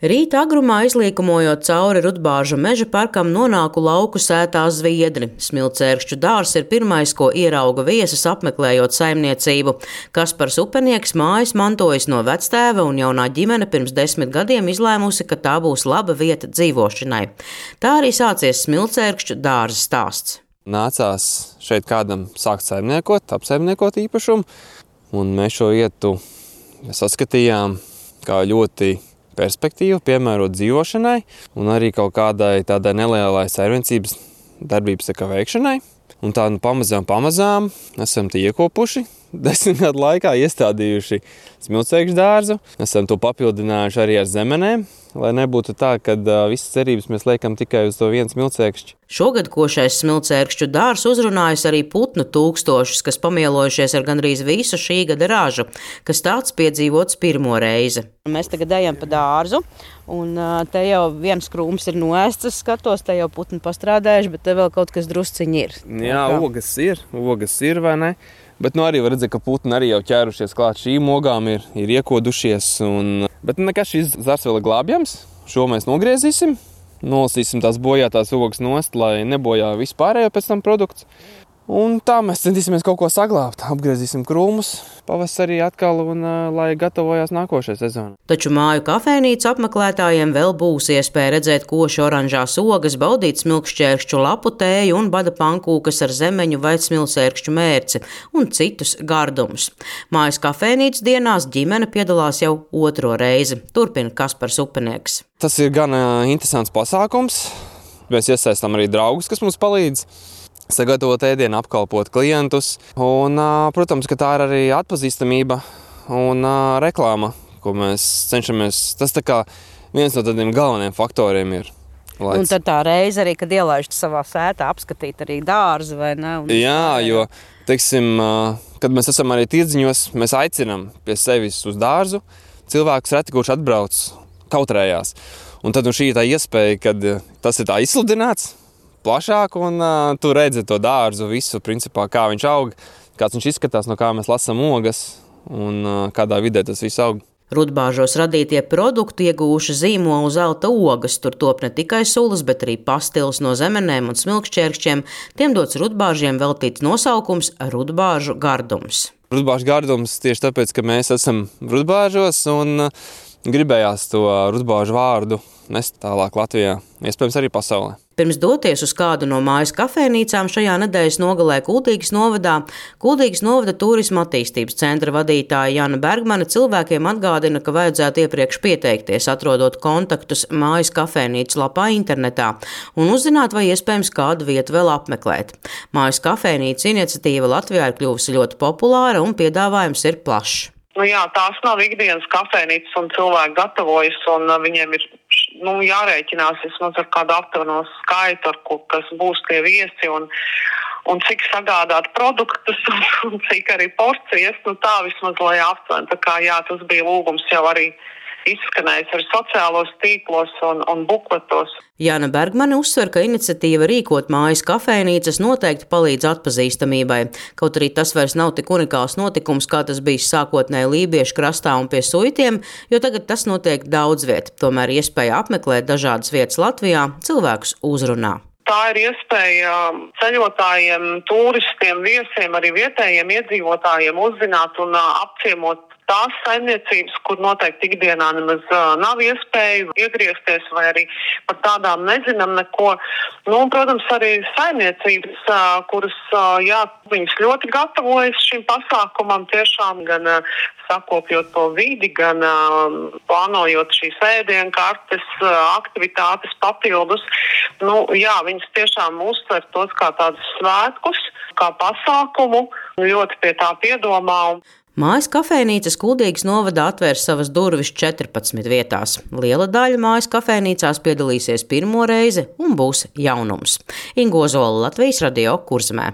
Rīta agrumā izlīkumojot cauri Rudbāžu meža parkam nonāku lauku sētā Zviedri. Smilcērkšķu dārzs ir pirmais, ko ierauga viesus apmeklējot saimniecību. Kaspars Upenieks mājas mantojis no vectēva un jaunā ģimene pirms 10 gadiem izlēmusi, ka tā būs laba vieta dzīvošanai. Tā arī sācies Smilcērkšķu dārza stāsts. Nācās šeit kādam sākt apsaimniekot īpašumu, un mēs šo vietu saskatījām kā ļoti perspektīvu, piemērot dzīvošanai un arī kaut kādai tādai nelielai saimniecības darbības veikšanai. Un tā pamazām esam tie iekopuši. 10 gadu laikā iestādījuši Smilcērkšķu dārzu. Esam to papildinājuši arī ar zemenēm, lai nebūtu tā, ka visas cerības mēs liekam tikai uz to vienu smilcērkšķi. Šogad košais Smilcērkšķu dārzs uzrunājis arī putnu tūkstošus, kas pamielojušies ar gandrīz visu šī gada ražu, kas tāds piedzīvots pirmo reizi. Mēs tagad ejam pa dārzu, un te jau viens krūms ir noēsts, es skatos, te jau putni pastrādājuši, bet te vēl kaut kas drusciņi ir. Jā, ogas ir, vai ne? Bet arī var redzēt, ka putni arī jau ķērušies klāt šīm ogām, ir iekodušies. Bet nekas šis zars vēl ir glābjams. Šo mēs nogriezīsim, nolasīsim tās bojātās ogas nost, lai nebojā vispārējo pēc tam produkts. Un tā mēs centīsimies kaut ko saglābt. Apgriezīsim krūmus pavasarī atkal un lai gatavojās nākošajai sezonai. Taču māju kafejnīcu apmeklētājiem vēl būs iespēja redzēt koši oranžās ogas, baudīt smilkšķērkšķu lapu tēju un bada pankūkas ar zemeņu vai smilcērkšķu mērci un citus gardumus. Mājas kafejnīcas dienās ģimene piedalās jau otro reizi. Turpina Kaspars Upenieks. Tas ir gan interesants pasākums. Mēs iesaistām arī draugus, kas mums palīdz sagatavot ēdienu, apkalpot klientus. Un, protams, ka tā ir arī atpazīstamība un reklāma, ko mēs cenšamies. Tas tā kā viens no tādiem galvenajiem faktoriem ir. Un tad tā reize arī, kad ielaižat savā sētā, apskatīt arī dārzu, vai ne? Jā, jo, teiksim, kad mēs esam arī tirdziņos, mēs aicinām pie sevis uz dārzu cilvēkus reti, kurš atbrauc kautrējās. Un tad šī ir tā iespēja, kad tas ir tā izsludināts plašāk, un tu redzi to dārzu visu, principā, kā viņš aug, kāds viņš izskatās, no kā mēs lasām ogas un kādā vidē tas viss aug. Rudbāžos radītie produkti ieguvuši zīmolu zelta ogas. Tur top ne tikai sulas, bet arī pastils no zemenēm un smilkšķērkšķiem. Tiem dots Rudbāžiem veltīts nosaukums Rudbāžu gardums. Rudbāžu gardums tieši tāpēc, ka mēs esam Rudbāžos un gribējās to Rudbāžu vārdu nest tālāk Latvijā, iespējams arī pasaulē. Pirms doties uz kādu no mājas kafejnīcām šajā nedēļas nogalē Kuldīgas novada turisma attīstības centra vadītāja Jana Bergmane cilvēkiem atgādina, ka vajadzētu iepriekš pieteikties, atrodot kontaktus mājas kafejnīcas lapā internetā un uzzināt, vai iespējams kādu vietu vēl apmeklēt. Mājas kafejnīcas iniciatīva Latvijā ir kļuvusi ļoti populāra un piedāvājums ir plašs. Jā, tās nav ikdienas kafejnīcas un cilvēki gatavojas un viņiem ir jārēķinās vismaz ar kādu aptuveno skaitu, kas būs tie viesi un cik sagādāt produktus un cik arī porcijas, tā vismaz lai aptuveni. Tā kā tas bija lūgums jau arī izskanējis ar sociālos tīklos un bukletos. Jana Bergmane uzsver, ka iniciatīva rīkot mājas kafejnīcas noteikti palīdz atpazīstamībai. Kaut arī tas vairs nav tik unikāls notikums, kā tas bijis sākotnēji Lībiešu krastā un pie Suitiem, jo tagad tas notiek daudz viet. Tomēr iespēja apmeklēt dažādas vietas Latvijā cilvēkus uzrunā. Tā ir iespēja ceļotājiem, turistiem, viesiem, arī vietējiem iedzīvotājiem uzzināt un apciemot tās saimniecības, kur noteikti ikdienā nemaz nav iespēja iegriezties vai arī par tādām nezinām neko. Un, protams, arī saimniecības, kuras, viņas ļoti gatavojas šim pasākumam tiešām gan sakopjot to vidi, gan plānojot šīs ēdienkartes, aktivitātes papildus. Viņas tiešām uztver tos kā tādus svētkus, kā pasākumu, ļoti pie tā piedomā. Mājas kafejnīcas Kuldīgas novadā atvērs savas durvis 14 vietās. Liela daļa mājas kafejnīcās piedalīsies pirmo reizi un būs jaunums. Inga Ozola, Latvijas Radio, Kurzemē.